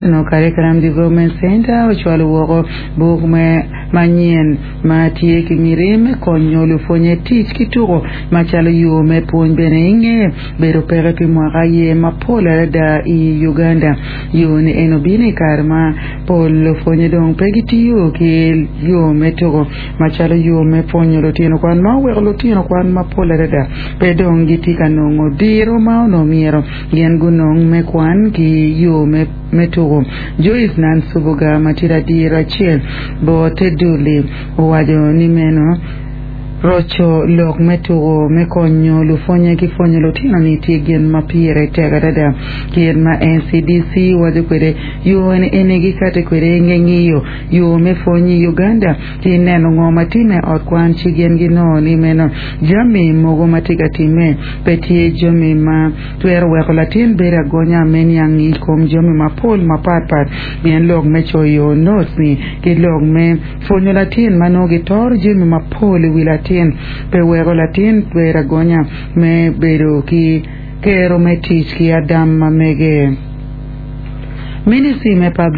National Curriculum Development Centre ocwalo woko buk me manyen ma tye ki miti me konyo lupwonye tic ki tuko macalo yo me pwony bene inge bedo peke pi mwaka aye mapol adada i Uganda. Yo ni en obino i kare ma pol lupwonye dong pe gitiyo ki yo me tuko macalo yo me pwonyo lutino kwan ma oweko lutino kwan mapol adada pe dong gitye ka nongo diro ma onongo myero gin gunong me kwan ki yo me me tuko. Joyce Nansubuga ma tye ladiro acel bot te dul-li owaco ni meno roco lok me tuko me konyo lupwonye ki pwonyo lutino-ni tye gin ma pire tek adada. Kit ma NCDC waco kwede, yo eni gikati kwede i nge ngiyo yo me pwony i Uganda ki neno ngo ma timme i ot kwan ci gin ginongo ni meno jami mogo ma tye ka timme pe tye jami ma Twero weko latin bedo agonya me niang i kom jami mapol mapatpat pien lok me coyo notes-ni ki lok me pwonyo latin ma nongo gitoro jami mapol i wi latin pe weko latin bedo agonya me bedo ki kero me tic ki adam ma mege. Ministry me Public.